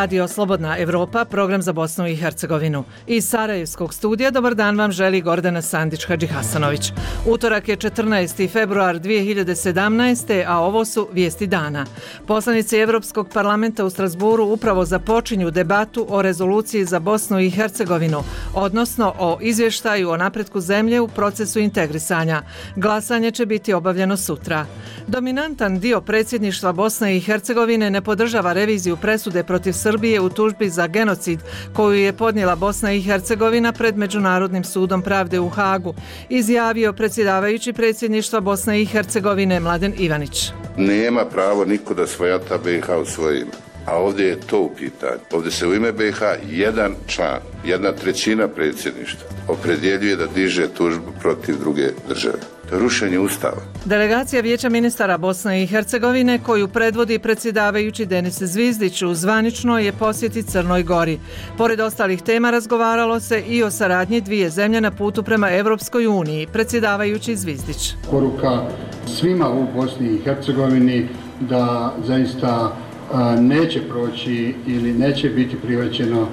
Radio Slobodna Evropa, program za Bosnu i Hercegovinu. Iz Sarajevskog studija dobar dan vam želi Gordana Sandić-Hadžihasanović. Utorak je 14. februar 2017. a ovo su vijesti dana. Poslanici Evropskog parlamenta u Strasburu upravo započinju debatu o rezoluciji za Bosnu i Hercegovinu, odnosno o izvještaju o napretku zemlje u procesu integrisanja. Glasanje će biti obavljeno sutra. Dominantan dio predsjedništva Bosne i Hercegovine ne podržava reviziju presude protiv Srbije u tužbi za genocid koju je podnijela Bosna i Hercegovina pred Međunarodnim sudom pravde u Hagu, izjavio predsjedavajući predsjedništva Bosne i Hercegovine Mladen Ivanić. Nema pravo niko da svojata BiH u svoje ime. A ovdje je to u pitanju. Ovdje se u ime BiH jedan član, 1/3 predsjedništva opredjeljuje da diže tužbu protiv druge države. To je rušenje Ustava. Delegacija Vijeća ministara Bosne i Hercegovine koju predvodi predsjedavajući Denis Zvizdić u zvaničnoj je posjeti Crnoj Gori. Pored ostalih tema razgovaralo se i o saradnji dvije zemlje na putu prema Evropskoj uniji, predsjedavajući Zvizdić. Poruka svima u Bosni i Hercegovini da zaista neće proći ili neće biti prihvaćeno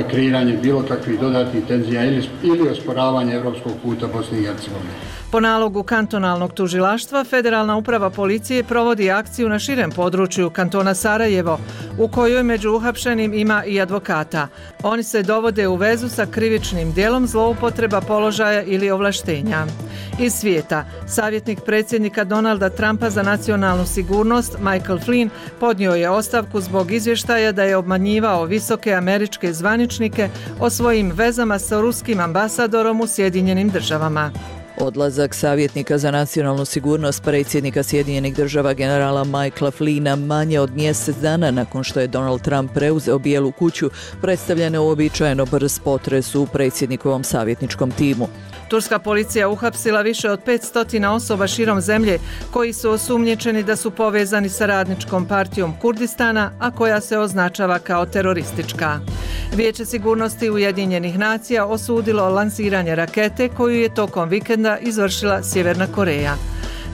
kreiranje bilo kakvih dodatnih tenzija ili osporavanje evropskog puta Bosne i Hercegovine. Po nalogu kantonalnog tužilaštva, Federalna uprava policije provodi akciju na širem području kantona Sarajevo, u kojoj među uhapšenim ima i advokata. Oni se dovode u vezu sa krivičnim djelom zloupotreba položaja ili ovlaštenja. Iz svijeta, savjetnik predsjednika Donalda Trumpa za nacionalnu sigurnost Michael Flynn podnio je ostavku zbog izvještaja da je obmanjivao visoke američke zvaničnike o svojim vezama sa ruskim ambasadorom u Sjedinjenim državama. Odlazak savjetnika za nacionalnu sigurnost predsjednika Sjedinjenih država generala Michaela Flynna manje od mjesec dana nakon što je Donald Trump preuzeo Bijelu kuću predstavlja neuobičajeno brz potres u predsjednikovom savjetničkom timu. Turska policija uhapsila više od 500 osoba širom zemlje koji su osumnjičeni da su povezani sa radničkom partijom Kurdistana, a koja se označava kao teroristička. Vijeće sigurnosti Ujedinjenih nacija osudilo lansiranje rakete koju je tokom vikenda izvršila Sjeverna Koreja.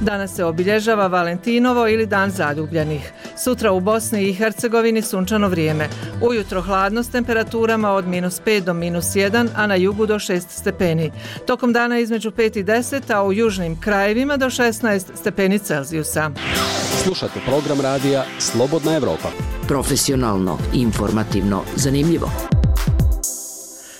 Danas se obilježava Valentinovo ili Dan zaljubljenih. Sutra u Bosni i Hercegovini sunčano vrijeme. Ujutro hladno s temperaturama od -5 do -1, a na jugu do 6 stepeni. Tokom dana između 5 i 10, a u južnim krajevima do 16 stepeni Celzijusa. Slušate program radija Slobodna Evropa. Profesionalno, informativno, zanimljivo.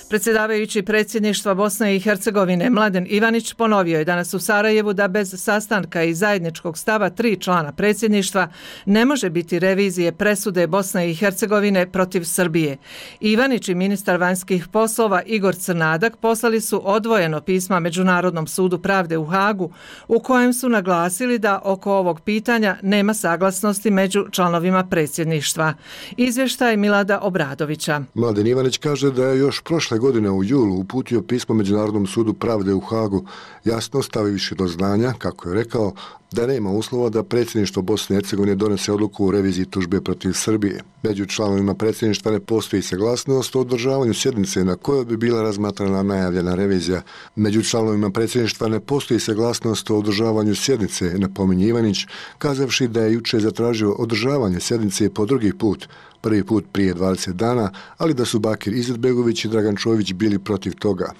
Predsjedavajući predsjedništva Bosne i Hercegovine Mladen Ivanić ponovio je danas u Sarajevu da bez sastanka i zajedničkog stava 3 člana predsjedništva ne može biti revizije presude Bosne i Hercegovine protiv Srbije. Ivanić i ministar vanjskih poslova Igor Crnadak poslali su odvojeno pisma Međunarodnom sudu pravde u Hagu u kojem su naglasili da oko ovog pitanja nema saglasnosti među članovima predsjedništva. Izvještaj Milada Obradovića. Mladen Ivanić kaže da je još prošle godine u julu uputio pismo Međunarodnom sudu pravde u Hagu, jasno stavivši do znanja, kako je rekao, da nema uslova da predsjedništvo Bosne i Hercegovine donese odluku o reviziji tužbe protiv Srbije. Među članovima predsjedništva ne postoji saglasnost o održavanju sjednice na kojoj bi bila razmatrana najavljena revizija. Među članovima predsjedništva ne postoji saglasnost o održavanju sjednice, napominje Ivanić, kazavši da je jučer zatražio održavanje sjednice po drugi put, prvi put prije 20 dana, ali da su Bakir Izetbegović i Dragan Čović bili protiv toga.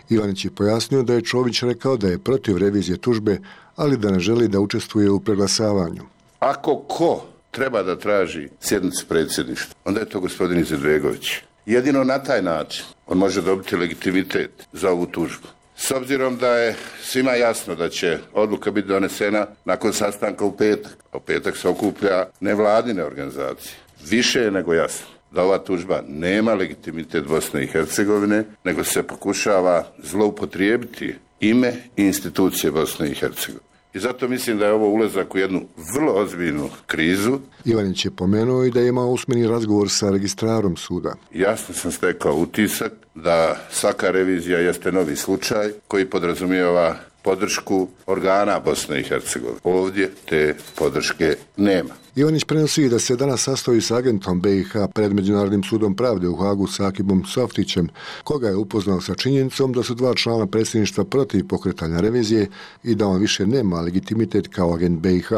Ivanić je pojasnio da je Čović rekao da je protiv revizije tužbe, ali da ne želi da učestvuje u preglasavanju. Ako ko treba da traži sjednicu predsjedništva, onda je to gospodin Izetbegović. Jedino na taj način on može dobiti legitimitet za ovu tužbu. S obzirom da je svima jasno da će odluka biti donesena nakon sastanka u petak. U petak se okuplja nevladine organizacije. Više je nego jasno da ova tužba nema legitimitet Bosne i Hercegovine, nego se pokušava zloupotrijebiti ime i institucije Bosne i Hercegovine. I zato mislim da je ovo ulazak u jednu vrlo ozbiljnu krizu. Ivanić je pomenuo i da je imao usmeni razgovor sa registrarom suda. Jasno sam stekao utisak da svaka revizija jeste novi slučaj koji podrazumijeva podršku organa Bosne i Hercegovine. Ovdje te podrške nema. Ivanić prenosi da se danas sastoji s agentom BiH pred Međunarodnim sudom pravde u Hagu s Akibom Softićem, koga je upoznao sa činjenicom da su 2 člana predsjedništva protiv pokretanja revizije i da on više nema legitimitet kao agent BiH.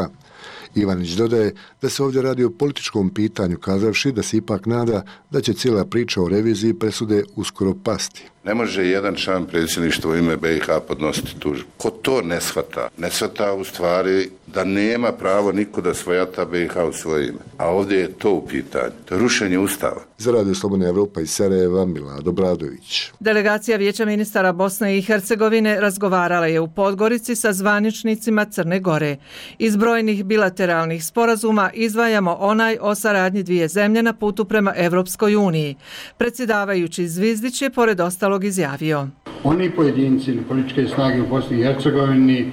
Ivanić dodaje da se ovdje radi o političkom pitanju, kazavši da se ipak nada da će cijela priča o reviziji presude uskoro pasti. Ne može jedan član predsjedništva u ime BiH podnositi tužbu. Ko to ne shvata u stvari da nema pravo niko da svojata BiH u svoje ime. A ovdje je to u pitanju. To je rušenje Ustava. Za Radio Slobodna Evropa iz Sarajeva, Milado Bradović. Delegacija Vijeća ministara Bosne i Hercegovine razgovarala je u Podgorici sa zvaničnicima Crne Gore. Iz brojnih bilateralnih sporazuma izdvajamo onaj o saradnji dvije zemlje na putu prema Evropskoj uniji. Predsjedavajući Zvizdić je pored ostalog izjavio: Oni pojedinci ili političke snage u Bosni i Hercegovini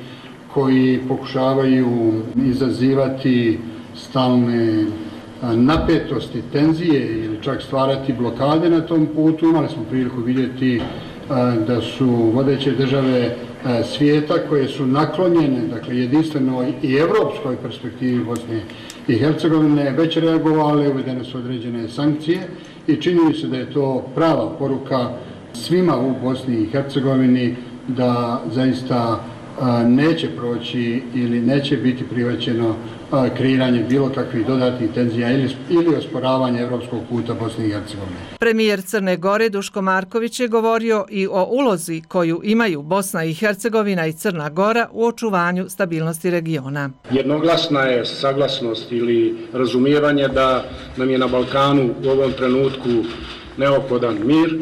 koji pokušavaju izazivati stalne napetosti, tenzije ili čak stvarati blokade na tom putu, imali smo priliku vidjeti da su vodeće države svijeta koje su naklonjene, dakle jedinstvenoj i evropskoj perspektivi Bosne i Hercegovine, već reagovale, uvedene su određene sankcije i čini mi se da je to prava poruka svima u Bosni i Hercegovini da zaista neće proći ili neće biti prihvaćeno kreiranje bilo kakvih dodatnih tenzija ili osporavanje evropskog puta Bosne i Hercegovine. Premijer Crne Gore Duško Marković je govorio i o ulozi koju imaju Bosna i Hercegovina i Crna Gora u očuvanju stabilnosti regiona. Jednoglasna je saglasnost ili razumijevanje da nam je na Balkanu u ovom trenutku neophodan mir,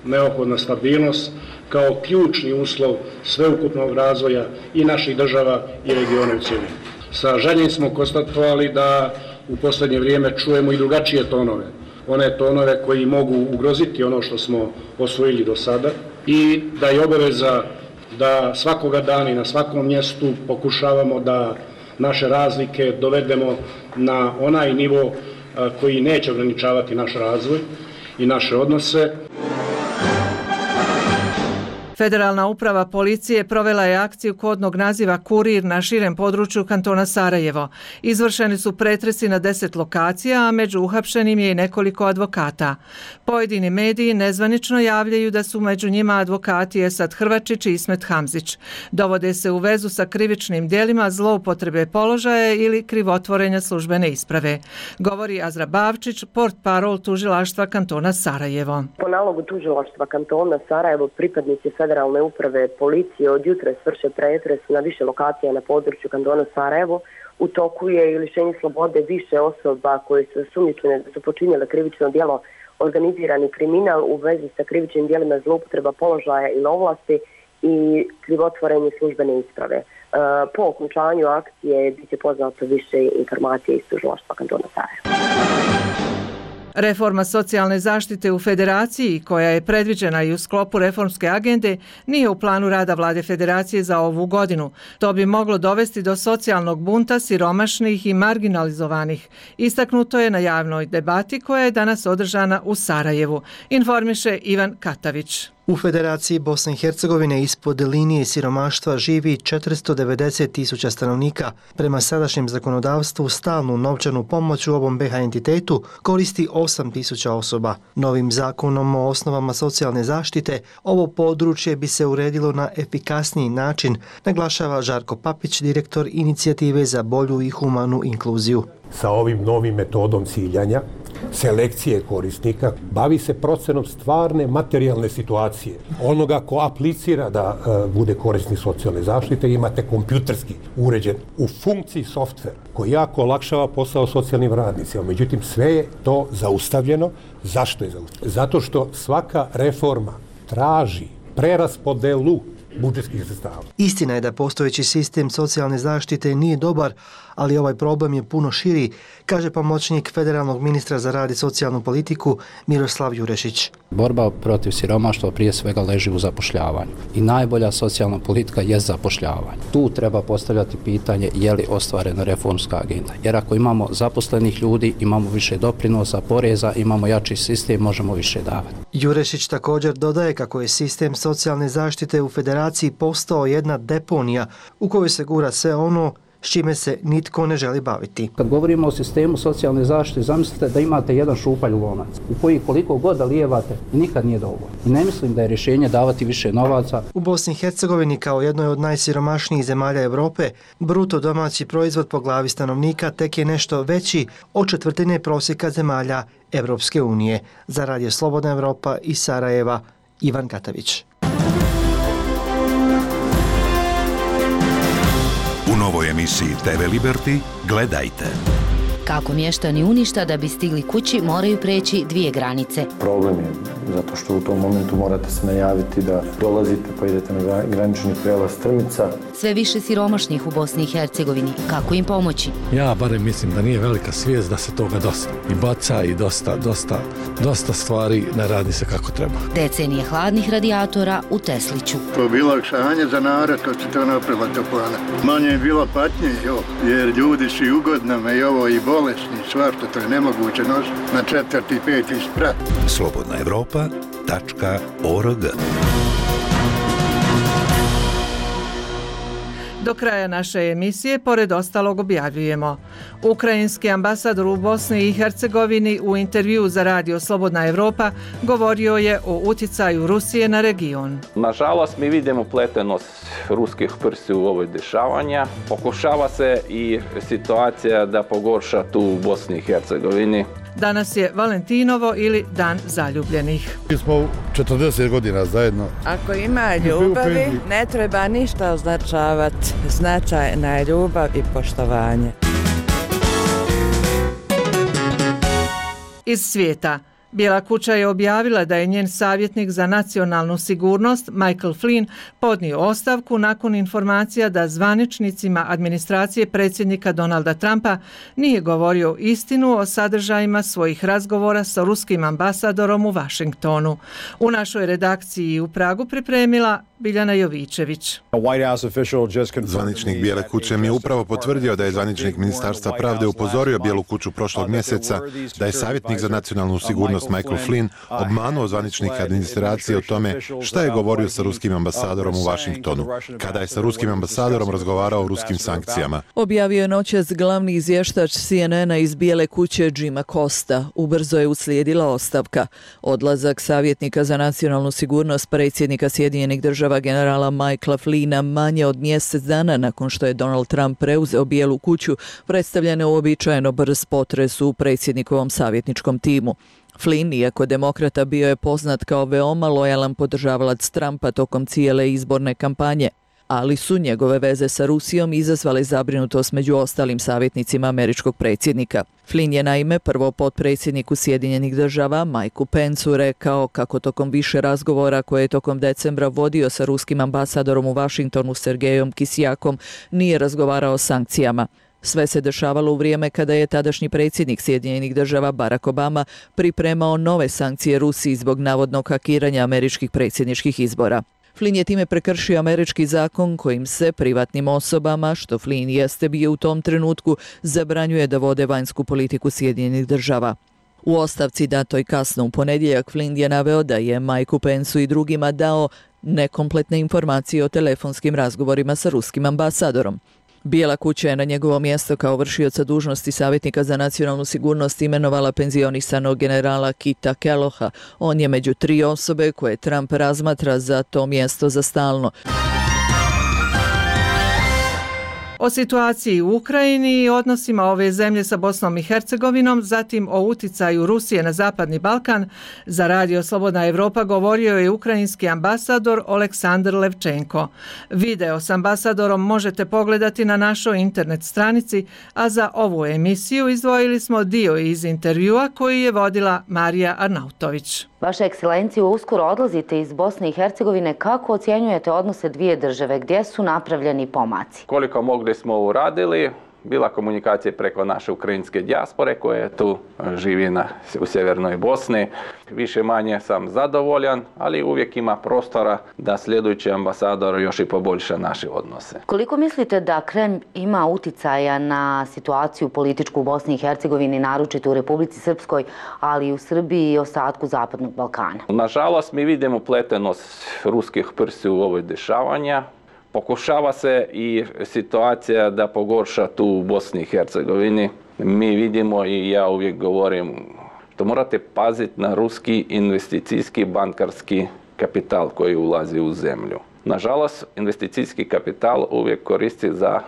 neophodna stabilnost kao ključni uslov sveukupnog razvoja i naših država i regiona u cjelini. Sa žaljenjem smo konstatovali da u posljednje vrijeme čujemo i drugačije tonove. One tonove koji mogu ugroziti ono što smo osvojili do sada i da je obaveza da svakoga dana i na svakom mjestu pokušavamo da naše razlike dovedemo na onaj nivo koji neće ograničavati naš razvoj i naše odnose. Federalna uprava policije provela je akciju kodnog naziva Kurir na širem području kantona Sarajevo. Izvršeni su pretresi na 10 lokacija, a među uhapšenim je i nekoliko advokata. Pojedini mediji nezvanično javljaju da su među njima advokati Esad Hrvačić i Ismet Hamzić. Dovode se u vezu sa krivičnim djelima zloupotrebe položaja ili krivotvorenja službene isprave. Govori Azra Bavčić, portparol tužilaštva kantona Sarajevo. Po nalogu tužilaštva kantona Sarajevo pripadnici Federalne uprave policije od jutra vrše pretres na više lokacija na području kantona Sarajevo. U toku je i lišenje slobode više osoba koje su sumnjičene da su počinjele krivično djelo organizirani kriminal u vezi sa krivičnim djelima zloupotreba položaja ili ovlasti i krivotvorenje službene isprave. Po okončanju akcije bit će poznato više informacije iz tužilaštva kantona Sarajevo. Reforma socijalne zaštite u Federaciji, koja je predviđena i u sklopu reformske agende, nije u planu rada Vlade Federacije za ovu godinu. To bi moglo dovesti do socijalnog bunta siromašnih i marginalizovanih. Istaknuto je na javnoj debati koja je danas održana u Sarajevu, informiše Ivan Katavić. U Federaciji Bosne i Hercegovine ispod linije siromaštva živi 490.000 stanovnika. Prema sadašnjem zakonodavstvu stalnu novčanu pomoć u ovom BiH entitetu koristi 8.000 osoba. Novim zakonom o osnovama socijalne zaštite ovo područje bi se uredilo na efikasniji način, naglašava Žarko Papić, direktor Inicijative za bolju i humanu inkluziju. Sa ovim novim metodom ciljanja, selekcije korisnika, bavi se procenom stvarne materijalne situacije. Onoga ko aplicira da bude korisnik socijalne zaštite, imate kompjuterski uređen u funkciji softver koji jako olakšava posao socijalnim radnicima. Međutim, sve je to zaustavljeno. Zašto je zaustavljeno? Zato što svaka reforma traži preraspodelu budžetskih sredstava. Istina je da postojeći sistem socijalne zaštite nije dobar, ali ovaj problem je puno širi, kaže pomoćnik federalnog ministra za rad i socijalnu politiku Miroslav Jurešić. Borba protiv siromaštva prije svega leži u zapošljavanju i najbolja socijalna politika je zapošljavanje. Tu treba postavljati pitanje je li ostvarena reformska agenda. Jer ako imamo zaposlenih ljudi, imamo više doprinosa, poreza, imamo jači sistem, možemo više davati. Jurešić također dodaje kako je sistem socijalne zaštite u Federaciji postao jedna deponija u kojoj se gura sve ono s čime se nitko ne želi baviti. Kad govorimo o sistemu socijalne zaštite, zamislite da imate jedan šupalj lonac u koji koliko god da lijevate nikad nije dovoljno. I ne mislim da je rješenje davati više novaca. U Bosni i Hercegovini kao jednoj od najsiromašnijih zemalja Europe, bruto domaći proizvod po glavi stanovnika tek je nešto veći od četvrtine prosjeka zemalja Evropske unije. Za Radio Slobodna Evropa iz Sarajeva, Ivan Katavić. U novoj emisiji TV Liberty gledajte. Kako mještani Uništa da bi stigli kući moraju preći 2 granice. Problem je zato što u tom momentu morate se najaviti da dolazite pa idete na granični prijelaz Strmica. Sve više siromašnih u Bosni i Hercegovini. Kako im pomoći? Ja barem mislim da nije velika svijest da se toga dosta i baca i dosta stvari ne radi se kako treba. Decenije hladnih radijatora u Tesliću. To je bilo olakšanje za narod kad se to napravila toplana. Manje je bilo patnje, jer ljudi su i u godinama i ovo i bolesni, svašta, to je nemoguće nositi na 4. i 5. sprat. slobodnaevropa.org. Do kraja naše emisije, pored ostalog, objavljujemo. Ukrajinski ambasador u Bosni i Hercegovini u intervjuu za Radio Slobodna Evropa govorio je o utjecaju Rusije na region. Nažalost, mi vidimo upletenost ruskih prstiju u ovoj dešavanja. Pokušava se i situacija da pogorša tu u Bosni i Hercegovini. Danas je Valentinovo ili Dan zaljubljenih. Mi smo 40 godina zajedno. Ako ima ljubavi, ne treba ništa označavati. Značajna je ljubav i poštovanje. Iz svijeta. Bijela kuća je objavila da je njen savjetnik za nacionalnu sigurnost Michael Flynn podnio ostavku nakon informacija da zvaničnicima administracije predsjednika Donalda Trumpa nije govorio istinu o sadržajima svojih razgovora sa ruskim ambasadorom u Vašingtonu. U našoj redakciji u Pragu pripremila Biljana Jovičević. Zvaničnik Bijele kuće mi je upravo potvrdio da je zvaničnik Ministarstva pravde upozorio Bijelu kuću prošlog mjeseca da je savjetnik za nacionalnu sigurnost Michael Flynn obmanuo zvaničnika administracije o tome šta je govorio sa ruskim ambasadorom u Vašingtonu, kada je sa ruskim ambasadorom razgovarao o ruskim sankcijama. Objavio je noćas glavni izvještač CNN-a iz Bijele kuće Jima Costa. Ubrzo je uslijedila ostavka. Odlazak savjetnika za nacionalnu sigurnost predsjednika Sjedinjenih država generala Michaela Flynna manje od mjesec dana nakon što je Donald Trump preuzeo Bijelu kuću predstavlja neuobičajeno brz potres u predsjednikovom savjetničkom timu. Flynn, iako demokrata, bio je poznat kao veoma lojalan podržavalac Trumpa tokom cijele izborne kampanje, ali su njegove veze sa Rusijom izazvale zabrinutost među ostalim savjetnicima američkog predsjednika. Flynn je naime prvo potpredsjedniku Sjedinjenih država Mikeu Penceu rekao kako tokom više razgovora koje je tokom decembra vodio sa ruskim ambasadorom u Vašingtonu Sergejom Kisjakom nije razgovarao o sankcijama. Sve se dešavalo u vrijeme kada je tadašnji predsjednik Sjedinjenih država Barack Obama pripremao nove sankcije Rusiji zbog navodnog hakiranja američkih predsjedničkih izbora. Flynn je time prekršio američki zakon kojim se privatnim osobama, što Flynn jeste bio u tom trenutku, zabranjuje da vode vanjsku politiku Sjedinjenih država. U ostavci datoj kasno u ponedjeljak Flynn je naveo da je Mikeu Penceu i drugima dao nekompletne informacije o telefonskim razgovorima sa ruskim ambasadorom. Bijela kuća je na njegovo mjesto kao vršioca dužnosti savjetnika za nacionalnu sigurnost imenovala penzionisanog generala Kita Kelloha. On je među 3 osobe koje Trump razmatra za to mjesto za stalno. O situaciji u Ukrajini i odnosima ove zemlje sa Bosnom i Hercegovinom, zatim o uticaju Rusije na Zapadni Balkan, za Radio Slobodna Evropa govorio je ukrajinski ambasador Oleksandr Levčenko. Video s ambasadorom možete pogledati na našoj internet stranici, a za ovu emisiju izdvojili smo dio iz intervjua koji je vodila Marija Arnautović. Vaša ekscelencijo, uskoro odlazite iz Bosne i Hercegovine. Kako ocjenjujete odnose dvije države? Gdje su napravljeni pomaci? Koliko mogli smo uradili, bila komunikacija preko naše ukrajinske dijaspore koje tu živi u sjevernoj Bosni. Više manje sam zadovoljan, ali uvijek ima prostora da sljedeći ambasador još i poboljša naše odnose. Koliko mislite da Kremlj ima uticaja na situaciju političku u Bosni i Hercegovini, naročito u Republici Srpskoj, ali i u Srbiji i ostatku Zapadnog Balkana? Nažalost, mi vidimo upletenost ruskih prstiju u ovoj dešavanja. Pokušava se i situacija da pogorša tu u Bosni i Hercegovini. Mi vidimo i ja uvijek govorim da morate paziti na ruski investicijski bankarski kapital koji ulazi u zemlju. Nažalost, investicijski kapital uvijek koristi za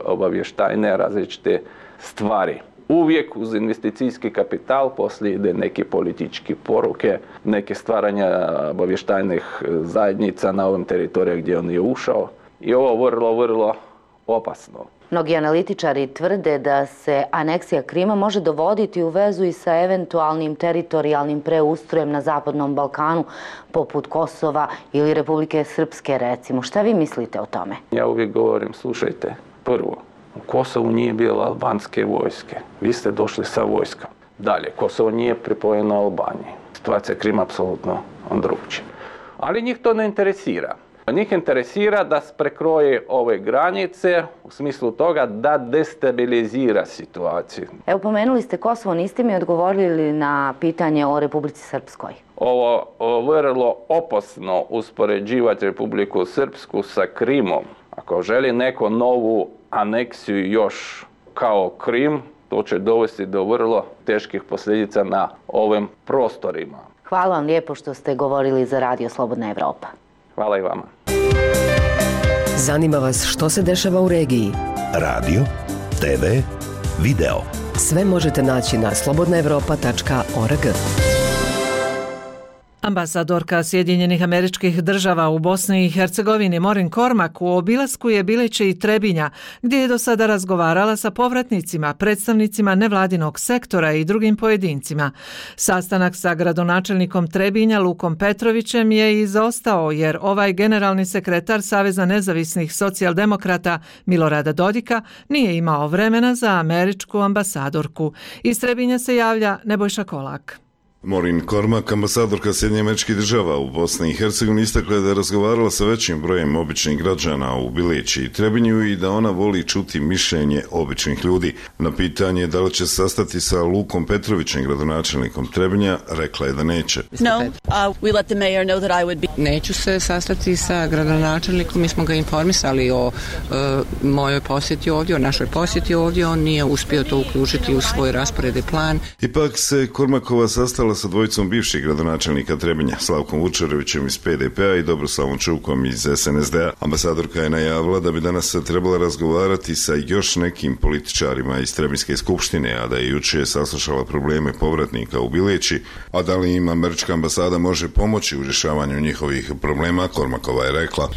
obavještajne različite stvari. Uvijek uz investicijski kapital poslije ide neke političke poruke, neke stvaranja obavještajnih zajednica na ovom teritoriju gdje on je ušao. I ovo vrlo opasno. Mnogi analitičari tvrde da se aneksija Krima može dovoditi u vezu i sa eventualnim teritorijalnim preustrojem na Zapadnom Balkanu, poput Kosova ili Republike Srpske, recimo. Šta vi mislite o tome? Ja uvijek govorim, slušajte, prvo, u Kosovu nije bilo albanske vojske. Vi ste došli sa vojskom. Dalje, Kosovo nije pripojeno Albaniji. Situacija Krima je apsolutno drugčija. Ali njih to ne interesira. Njih interesira da prekroje ove granice u smislu toga da destabilizira situaciju. Evo, pomenuli ste Kosovo, niste mi odgovorili na pitanje o Republici Srpskoj. Ovo vrlo opasno uspoređivati Republiku Srpsku sa Krimom. Ako želi neko novu aneksiju još kao Krim, to će dovesti do vrlo teških posljedica na ovim prostorima. Hvala vam lijepo što ste govorili za Radio Slobodna Evropa. Hvala i vama. Zanima vas što se dešava u regiji? Radio, TV, video. Sve možete naći na slobodnaevropa.org. Ambasadorka Sjedinjenih Američkih Država u Bosni i Hercegovini Maureen Cormack u obilasku je Bileće i Trebinja, gdje je do sada razgovarala sa povratnicima, predstavnicima nevladinog sektora i drugim pojedincima. Sastanak sa gradonačelnikom Trebinja Lukom Petrovićem je izostao jer ovaj generalni sekretar Saveza nezavisnih socijaldemokrata Milorada Dodika nije imao vremena za američku ambasadorku. Iz Trebinja se javlja Nebojša Kolak. Maureen Cormack, ambasadorka Sjedinjenih Američkih Država u Bosni i Hercegovini, istakla je da je razgovarala sa većim brojem običnih građana u Bileći i Trebinju i da ona voli čuti mišljenje običnih ljudi. Na pitanje da li će se sastati sa Lukom Petrovićem, gradonačelnikom Trebinja, rekla je da neće. Neću se sastati sa gradonačelnikom, mi smo ga informisali o mojoj posjeti ovdje, o našoj posjeti ovdje, on nije uspio to uključiti u svoj raspored i plan. Ipak se Kormakova sastala sa dvojicom bivših gradonačelnika Trebinja, Slavkom Vučerovićem iz PDP-a i Dobroslavom Čukom iz SNSD-a. Ambasadorka je najavila da bi danas trebala razgovarati sa još nekim političarima iz Trebinjske skupštine, a da je jučer saslušala probleme povratnika u Bileći, a da li im američka ambasada može pomoći u rješavanju njihovih problema, Kormakova je rekla.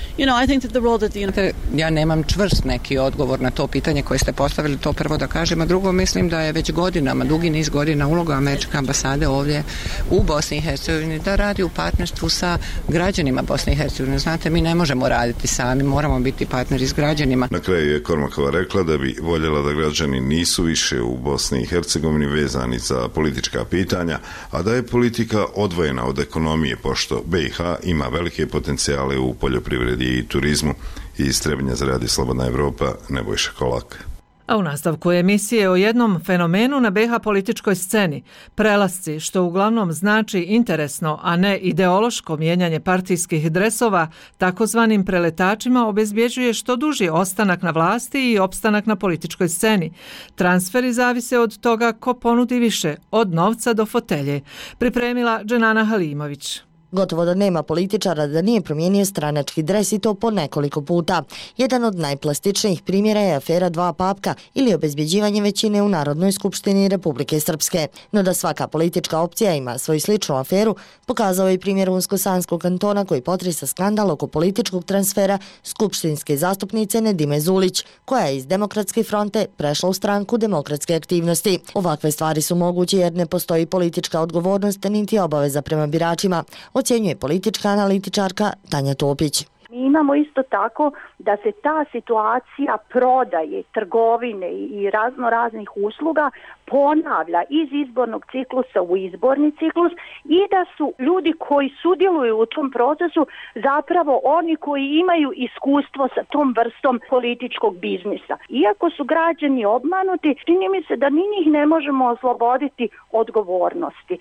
Ja nemam čvrst neki odgovor na to pitanje koje ste postavili, to prvo da kažem, a drugo mislim da je već godinama, dugi niz godina uloga američke ambasade ovdje u Bosni i Hercegovini da radi u partnerstvu sa građanima Bosne i Hercegovine. Znate, mi ne možemo raditi sami, moramo biti partneri s građanima. Na kraju je Kormakova rekla da bi voljela da građani nisu više u Bosni i Hercegovini vezani za politička pitanja, a da je politika odvojena od ekonomije, pošto BiH ima velike potencijale u poljoprivredi i turizmu. Iz Trebinja za Radio Slobodna Evropa, Nebojša Kolak. A u nastavku emisije o jednom fenomenu na BiH političkoj sceni, prelasci, što uglavnom znači interesno, a ne ideološko mijenjanje partijskih dresova, takozvanim preletačima obezbjeđuje što duži ostanak na vlasti i opstanak na političkoj sceni. Transferi zavise od toga ko ponudi više, od novca do fotelje. Pripremila Dženana Halimović. Gotovo da nema političara da nije promijenio stranački dres i to po nekoliko puta. Jedan od najplastičnijih primjera je afera Dva papka ili obezbjeđivanje većine u Narodnoj skupštini Republike Srpske. No da svaka politička opcija ima svoju sličnu aferu, pokazao je i primjer Unsko-Sanskog kantona koji potresa skandal oko političkog transfera skupštinske zastupnice Nedime Zulić, koja je iz Demokratske fronte prešla u stranku Demokratske aktivnosti. Ovakve stvari su moguće jer ne postoji politička odgovornost niti obaveza prema biračima, ocjenjuje politička analitičarka Tanja Topić. Mi imamo isto tako da se ta situacija prodaje, trgovine i razno raznih usluga ponavlja iz izbornog ciklusa u izborni ciklus i da su ljudi koji sudjeluju u tom procesu zapravo oni koji imaju iskustvo sa tom vrstom političkog biznisa. Iako su građani obmanuti, čini mi se da ni njih ne možemo osloboditi odgovornosti.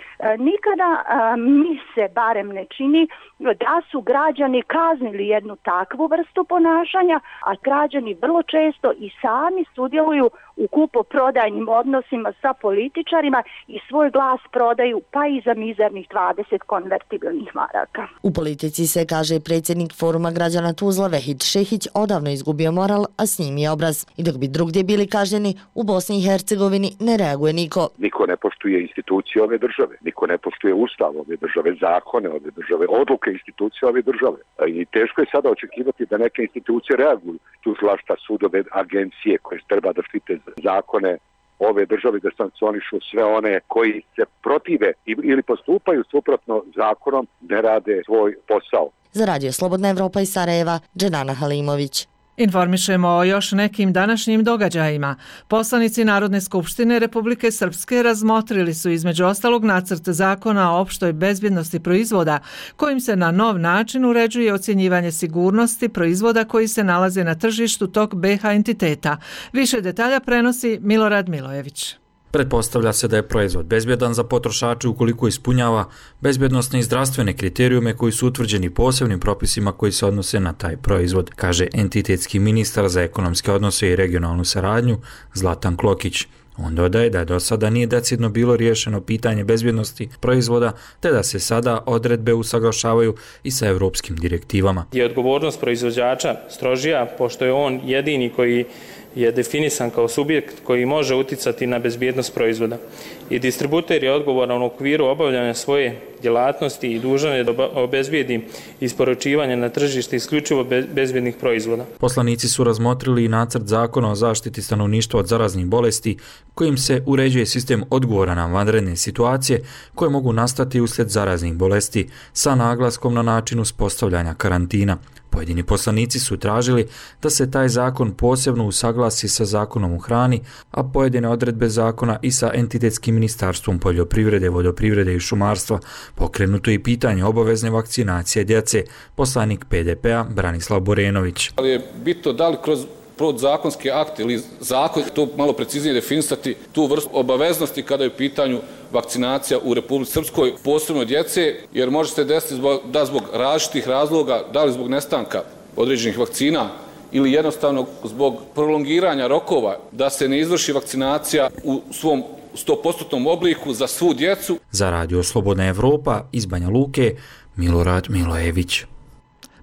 Nikada mi se barem ne čini da su građani kaznili jednog jednu takvu vrstu ponašanja, a građani vrlo često i sami sudjeluju u kupoprodajnim odnosima sa političarima i svoj glas prodaju pa i za mizernih 20 konvertibilnih maraka. U politici se, kaže predsjednik Foruma građana Tuzla Vehid Šehić, odavno izgubio moral, a s njim i obraz. I dok bi drugdje bili kažnjeni, u Bosni i Hercegovini ne reaguje niko. Niko ne poštuje institucije ove države, niko ne poštuje ustav ove države, zakone ove države, odluke institucije ove države. I teško je sada očekivati da neke institucije reaguju. Tužilaštva, sudove, agencije koje treba da štite zakone ove države, da sankcionišu sve one koji se protive ili postupaju suprotno zakonom, ne rade svoj posao. Za Radio Slobodna Evropa iz Sarajeva, Dženana Halimović. Informišemo o još nekim današnjim događajima. Poslanici Narodne skupštine Republike Srpske razmotrili su između ostalog nacrt zakona o opštoj bezbjednosti proizvoda, kojim se na nov način uređuje ocjenjivanje sigurnosti proizvoda koji se nalaze na tržištu tog BiH entiteta. Više detalja prenosi Milorad Milojević. Pretpostavlja se da je proizvod bezbjedan za potrošače ukoliko ispunjava bezbjednosne i zdravstvene kriterijume koji su utvrđeni posebnim propisima koji se odnose na taj proizvod, kaže entitetski ministar za ekonomske odnose i regionalnu saradnju Zlatan Klokić. On dodaje da do sada nije decidno bilo riješeno pitanje bezbjednosti proizvoda, te da se sada odredbe usaglašavaju i sa europskim direktivama. Je odgovornost proizvođača strožija, pošto je on jedini koji je definisan kao subjekt koji može uticati na bezbjednost proizvoda. I distributer je odgovoran u okviru obavljanja svoje djelatnosti i dužan je da obezbijedi isporučivanje na tržište isključivo bezbjednih proizvoda. Poslanici su razmotrili i nacrt zakona o zaštiti stanovništva od zaraznih bolesti, kojim se uređuje sistem odgovora na vanredne situacije koje mogu nastati uslijed zaraznih bolesti sa naglaskom na način uspostavljanja karantina. Pojedini poslanici su tražili da se taj zakon posebno usaglasi sa zakonom o hrani, a pojedine odredbe zakona i sa entitetskim ministarstvom poljoprivrede, vodoprivrede i šumarstva. Pokrenuto je i pitanje obavezne vakcinacije djece, poslanik PDP-a Branislav Borenović. Ali je bitno da li kroz podzakonske akte ili zakon to malo preciznije definisati tu vrstu obaveznosti kada je u pitanju vakcinacija u Republici Srpskoj, posebno djece, jer može se desiti da zbog različitih razloga, da li zbog nestanka određenih vakcina ili jednostavno zbog prolongiranja rokova, da se ne izvrši vakcinacija u svom 100% obliku za svu djecu. Za Radio Slobodna Evropa iz Banja Luke, Milorad Milojević.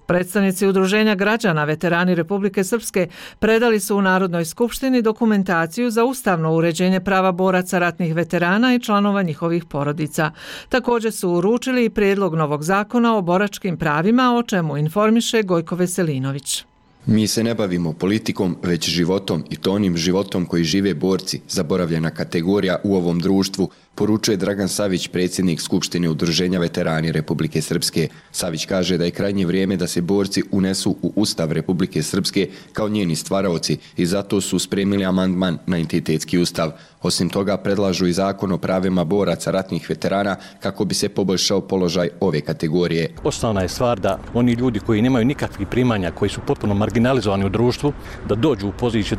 Predstavnici Udruženja građana veterani Republike Srpske predali su u Narodnoj skupštini dokumentaciju za ustavno uređenje prava boraca ratnih veterana i članova njihovih porodica. Također su uručili i prijedlog novog zakona o boračkim pravima, o čemu informiše Gojko Veselinović. Mi se ne bavimo politikom, već životom i to onim životom koji žive borci, zaboravljena kategorija u ovom društvu, poručuje Dragan Savić, predsjednik Skupštine Udruženja veterani Republike Srpske. Savić kaže da je krajnje vrijeme da se borci unesu u Ustav Republike Srpske kao njeni stvaraoci i zato su spremili amandman na entitetski ustav. Osim toga predlažu i zakon o pravima boraca ratnih veterana kako bi se poboljšao položaj ove kategorije. Osnovna je stvar da oni ljudi koji nemaju nikakvih primanja, koji su potpuno marginalizovani u društvu, da dođu u poziciju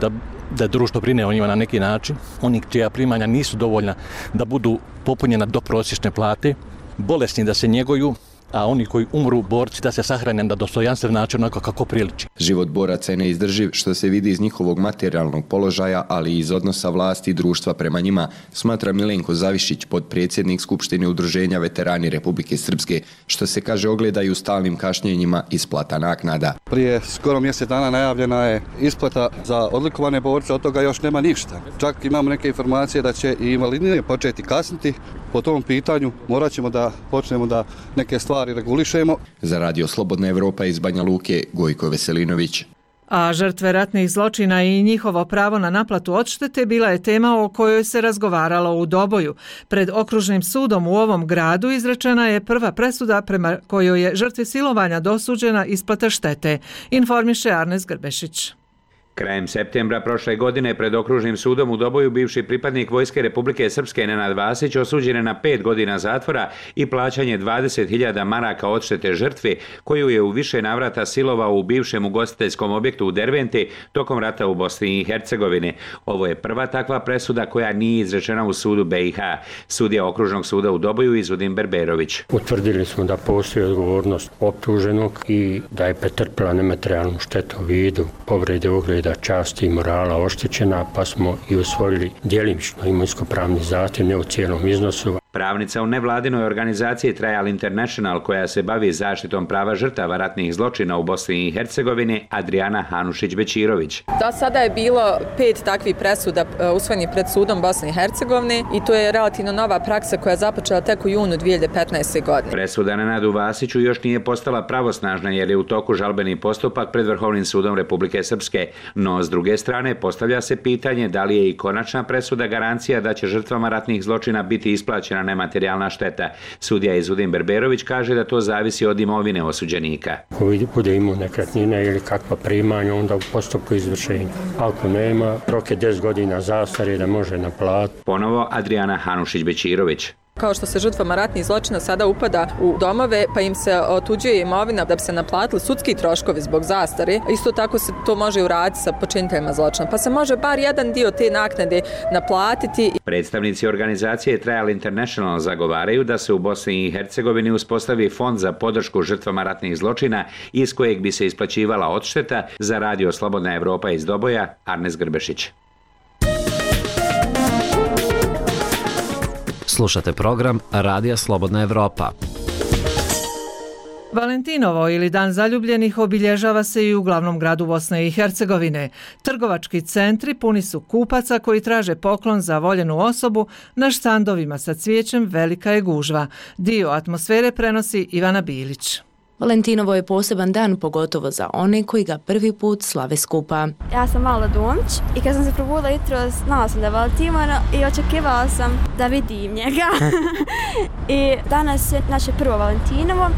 da društvo brine o njima na neki način. Oni čija primanja nisu dovoljna da budu popunjena do prosječne plate, bolesni da se njeguju, a oni koji umru, borci, da se sahrane na dostojanstven način onako kako priliči. Život boraca je neizdrživ, što se vidi iz njihovog materijalnog položaja, ali i iz odnosa vlasti i društva prema njima, smatra Milenko Zavišić, podpredsjednik Skupštine Udruženja veterani Republike Srpske, što se kaže ogleda i u stalnim kašnjenjima isplata naknada. Prije skoro mjesec dana najavljena je isplata za odlikovane borce, od toga još nema ništa. Čak imamo neke informacije da će i invalidnije početi kasniti. Po tom pitanju morat ćemo da počnemo da neke stvari regulišemo. Za Radio Slobodna Evropa iz Banja Luke, Gojko Veselinović. A žrtve ratnih zločina i njihovo pravo na naplatu odštete bila je tema o kojoj se razgovaralo u Doboju. Pred okružnim sudom u ovom gradu izrečena je prva presuda prema kojoj je žrtvi silovanja dosuđena isplata štete, informiše Arnes Grbešić. Krajem septembra prošle godine pred okružnim sudom u Doboju bivši pripadnik Vojske Republike Srpske Nenad Vasić osuđen je na 5 godina zatvora i plaćanje 20.000 maraka odštete žrtvi koju je u više navrata silovao u bivšem ugostiteljskom objektu u Derventi tokom rata u Bosni i Hercegovini. Ovo je prva takva presuda koja nije izrečena u sudu BiH. Sudija okružnog suda u Doboju Izudin Berberović. Utvrdili smo da postoji odgovornost optuženog i da je pretrpila nematerijalnu štetu u vidu povrede ugleda, časti i morala oštećena, pa smo i usvojili djelimično imovinsko-pravni zahtjev, ne u cijelom iznosu. Pravnica u nevladinoj organizaciji Trial International koja se bavi zaštitom prava žrtava ratnih zločina u Bosni i Hercegovini, Adriana Hanušić-Bećirović. Do sada je bilo 5 takvih presuda usvojenih pred sudom Bosne i Hercegovine i to je relativno nova praksa koja je započela tek u junu 2015. godine. Presuda Nenadu Vasiću još nije postala pravosnažna jer je u toku žalbeni postupak pred Vrhovnim sudom Republike Srpske. No, s druge strane, postavlja se pitanje da li je i konačna presuda garancija da će žrtvama ratnih zločina biti isplaćena nematerijalna šteta. Sudija Izudin Berberović kaže da to zavisi od imovine osuđenika. Ako bude imao nekretnine ili kakva primanja, onda u postupku izvršenja. Ako nema, rok je 10 godina zastare da može naplatiti. Ponovo Adriana Hanušić-Bećirović. Kao što se žrtvama ratnih zločina sada upada u domove, pa im se otuđuje imovina da bi se naplatili sudski troškovi zbog zastare, isto tako se to može uraditi sa počiniteljima zločina, pa se može bar jedan dio te naknade naplatiti. Predstavnici organizacije Trial International zagovaraju da se u Bosni i Hercegovini uspostavi fond za podršku žrtvama ratnih zločina iz kojeg bi se isplaćivala odšteta, za radio Slobodna Evropa iz Doboja, Arnes Grbešić. Slušate program Radija Slobodna Evropa. Valentinovo ili Dan zaljubljenih obilježava se i u glavnom gradu Bosne i Hercegovine. Trgovački centri puni su kupaca koji traže poklon za voljenu osobu, na štandovima sa cvijećem velika je gužva. Dio atmosfere prenosi Ivana Bilić. Valentinovo je poseban dan, pogotovo za one koji ga prvi put slave skupa. Ja sam Mala Domić i kad sam se probudila jutros, znala sam da je Valentinovo i očekivala sam da vidim njega. I danas je naše prvo Valentinovo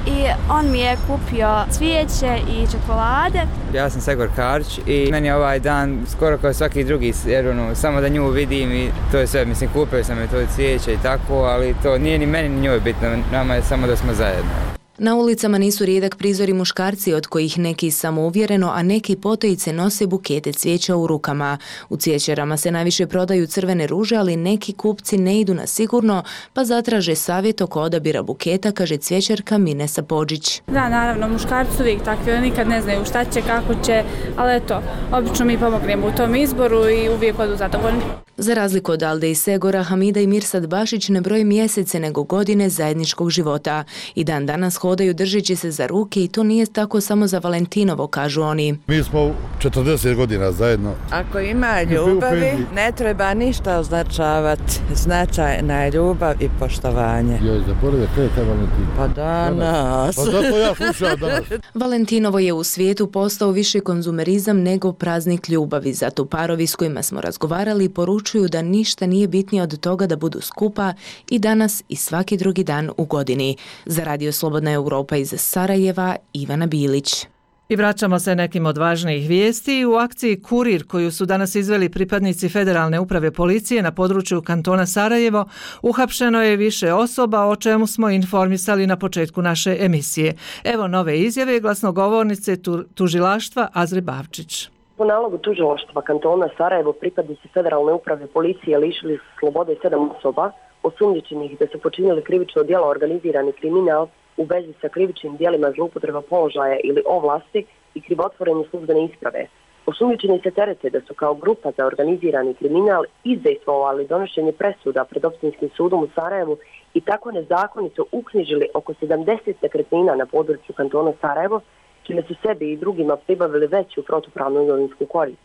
i on mi je kupio cvijeće i čokolade. Ja sam Segor Karić i meni je ovaj dan skoro kao svaki drugi, jer samo da nju vidim i to je sve. Mislim, kupio sam je to cvijeće i tako, ali to nije ni meni ni njoj bitno, nama je samo da smo zajedno. Na ulicama nisu rijedak prizori muškarci od kojih neki samouvjereno, a neki potojice nose bukete cvijeća u rukama. U cvijećarama se najviše prodaju crvene ruže, ali neki kupci ne idu na sigurno, pa zatraže savjet oko odabira buketa, kaže cvijećarka Minesa Podžić. Da, naravno, muškarci su uvijek takvi, oni nikad ne znaju šta će, kako će, ali eto, obično mi pomognemo u tom izboru i uvijek odu zadovoljni. Za razliku od Alde i Segora, Hamida i Mirsad Bašić ne broje mjesece nego godine zajedničkog života. I dan danas hodaju držeći se za ruke i to nije tako samo za Valentinovo, kažu oni. Mi smo 40 godina zajedno. Ako ima ljubavi, ne treba ništa označavati. Značajna je ljubav i poštovanje. Joj, zaboravio, kaj je taj Valentin? Pa danas. Pa zato ja slušam danas. Valentinovo je u svijetu postao više konzumerizam nego praznik ljubavi. Zato parovi s kojima smo razgovarali poručuju da ništa nije bitnije od toga da budu skupa i danas i svaki drugi dan u godini. Za Radio Slobodna Europa iz Sarajeva, Ivana Bilić. I vraćamo se nekim od važnijih vijesti. U akciji Kurir, koju su danas izveli pripadnici Federalne uprave policije na području kantona Sarajevo, uhapšeno je više osoba, o čemu smo informisali na početku naše emisije. Evo nove izjave glasnogovornice tužilaštva Azre Bavčić. Po nalogu tužilaštva kantona Sarajevo pripadnici Federalne uprave policije lišili slobode 7 osoba osumnjičenih da su počinili krivično djelo organizirani kriminal u vezi sa krivičnim djelima zloupotreba položaja ili ovlasti i krivotvorenje službene isprave. Osumnjičeni se terete da su kao grupa za organizirani kriminal izdejstvovali donošenje presuda pred Opštinskim sudom u Sarajevu i tako nezakonito uknjižili oko 70 nekretnina na području kantona Sarajevo, čime su sebi i drugima pribavili veću protupravnu imovinsku korist.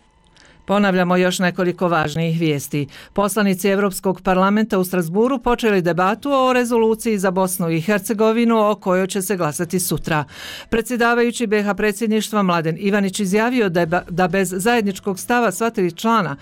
Ponavljamo još nekoliko važnijih vijesti. Poslanici Europskog parlamenta u Strasburu počeli debatu o rezoluciji za Bosnu i Hercegovinu o kojoj će se glasati sutra. Predsjedavajući BiH predsjedništva Mladen Ivanić izjavio da bez zajedničkog stava sva tri člana,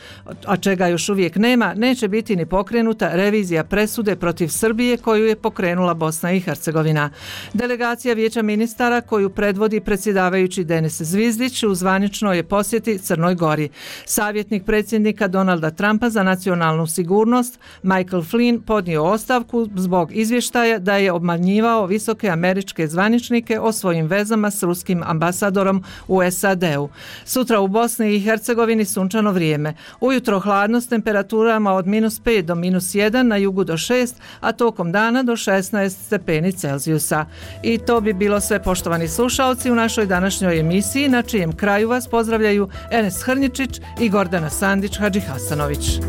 a čega još uvijek nema, neće biti ni pokrenuta revizija presude protiv Srbije koju je pokrenula Bosna i Hercegovina. Delegacija Vijeća ministara koju predvodi predsjedavajući Denis Zvizdić u zvaničnoj je posjeti Crnoj Gori. Savjetnik predsjednika Donalda Trumpa za nacionalnu sigurnost Michael Flynn podnio ostavku zbog izvještaja da je obmanjivao visoke američke zvaničnike o svojim vezama s ruskim ambasadorom u SAD-u. Sutra u Bosni i Hercegovini sunčano vrijeme. Ujutro hladno s temperaturama od -5 do -1, na jugu do 6, a tokom dana do 16 stepeni Celzijusa. I to bi bilo sve, poštovani slušalci, u našoj današnjoj emisiji, na čijem kraju vas pozdravljaju Enes Hrničić i Gordana Sandić Hadžihasanović.